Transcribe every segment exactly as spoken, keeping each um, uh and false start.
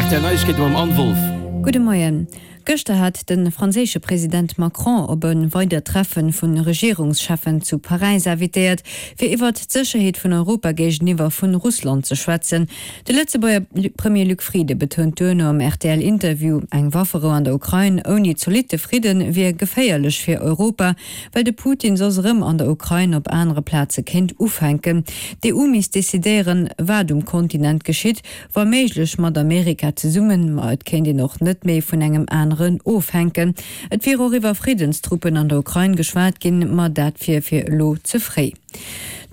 Rtl Neiegkeete mam Anne Wolff. Gudde Moien. Gëschter hat de franséische President Macron op e weidert Treffe vu Regierungscheffen zu Paräis invitéiert, fir iwwert d'Sécherheet vun Europa géigeniwwer vu Russland ze schwätzen. De Lëtzebuerger Premier Luc Frieden betount duerno am RTL-Interview, eng Wafferou an der Ukrain ouni zolitte Fridde wier geféierlech fir Europa, well de Putin soss erëm an der Ukrain op anere Plaze kéint ufänken. D'EU misst decidéieren, wat um Kontinent geschitt, wa méiglech mat Amerika zesummen, ma et kéint een och net méi vun engem aneren ofhänken. Et wier och iwwer Friddenstruppen an der Ukrain geschwat ginn, ma dat wier fir elo ze fréi.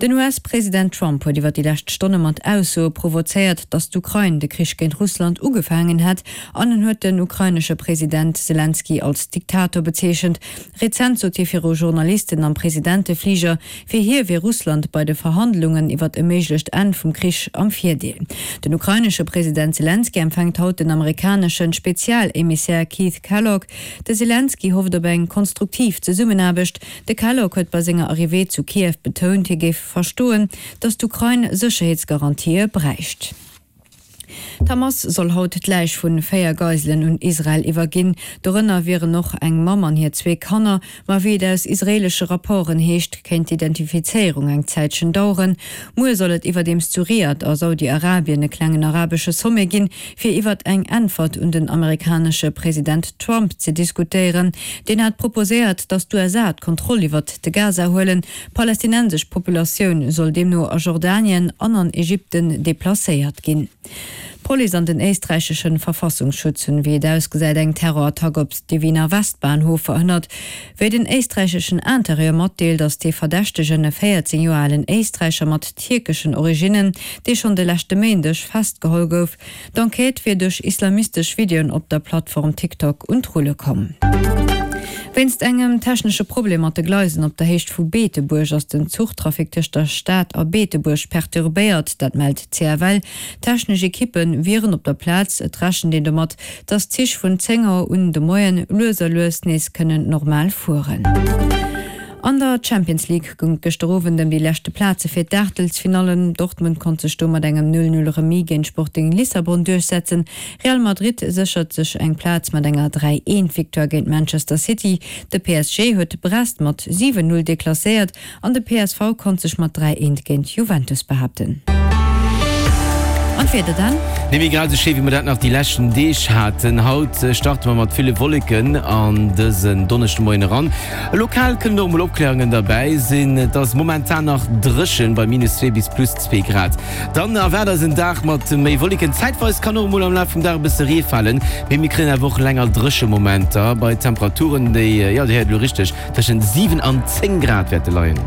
Den US-President Trump huet iwwer déi lescht Stonne mat Aussoe provozéiert, datt d'Ukrain de Krich géint Russland ugefaangen hätt an en huet den ukrainesche President Selenskyj als Diktator bezeechent. Rezent sot hie viru Journalisten am Presidentefliger, fir hie wier Russland bei de Verhandlungen iwwer e méiglecht Enn vum Krich am Virdeel. Den ukrainesche President Selenskyj empfänkt haut den amerikanesche Spezial-Emissär Keith Kellogg. De Selenskyj hofft op eng konstruktiv Zesummenaarbecht. De Kellogg huet bei senger Arrivée zu Kiew betount, hie géif verstoen, datt d'Ukrain Sécherheetsgarantië bräicht. D'Hamas soll haut d'Läich vu véier Geiselen un Israel iwwerginn. Dorënner wieren och eng Mamm an hir zwee Kanner. Ma wéi et aus israeelesche Rapporten heescht, kéint d'Identifizéierung eng Zäitchen daueren. Muer soll et iwwerdeems zu Riad a Saudi-Arabien e klengen arabesche Sommet ginn, fir iwwert eng Äntwert un den amerikanesche President Trump ze diskutéieren. Deen hat proposéiert, datt d'USA d'Kontroll iwwert de Gaza huelen. D'palästinensesch Populatioun soll deemno a Jordanien an an Ägypten deplacéiert ginn. D'Police an den éisträichesche Verfassungsschutz hunn, wéi et ausgesäit, eng Terrorattack op de Wiener Westbahnhof verhënnert. Wéi den éisträicheschen Interieur matdeelt, ass dee Verdächtegen e véierzéng Joer alen Éisträicher mat tierkeschen Originnen, dee schonn de leschte Méindeg festgeholl gouf. D'Enquête wier duerch islamistesch Videoen op der Plattform TikTok un d'Rulle komm. Wéinst engem technesche Problem mat de Gleisen op der Héicht vu Beetebuerg ass den Zuchtrafic tëscht der Stad a Beetebuerg perturbéiert, dat mellt d'CFL. Technesch Ekippe wieren op der Plaz. Et rechent een domat, datt d'Zich vun zéng Auer un de Moien lues a lues nees kënnen normal fueren. An der Champions League goung et gëschter Owend ëm déi leschte Plaze fir d'Aachtelsfinallen. Dortmund konnt sech do mat engem Null-Null-Remis géint Sporting Lissabon duerchsetzen. Real Madrid séchert sech eng Plaz mat enger Dräi-Eent-Victoire géint Manchester City. De P S G huet Brest mat siwen Null deklasséiert an de P S V konnt sech mat dräi-eent géint Juventus behaapten. An d'Wieder dann? Net méi grad esou schéi wéi mer dat nach déi leschten Deeg haten. Haut starte mer mat ville Wolleken an dësen Donneschdemoien eran. Lokal kënnen och mol Opkläerungen derbäi sinn. Et ass momentan nach dréchen bei minus zwee bis plus zwee Grad. Dann erwaart eis en Dag mat méi Wolleken. Zäitweis kann och emol am Laf vum Dag e bësse Ree falen, mee mir kréien awer och länger dréche Momenter bei Temperaturen, déi, jo, Dir héiert elo richteg, tëschent siwen an zéng Grad wäerte leien.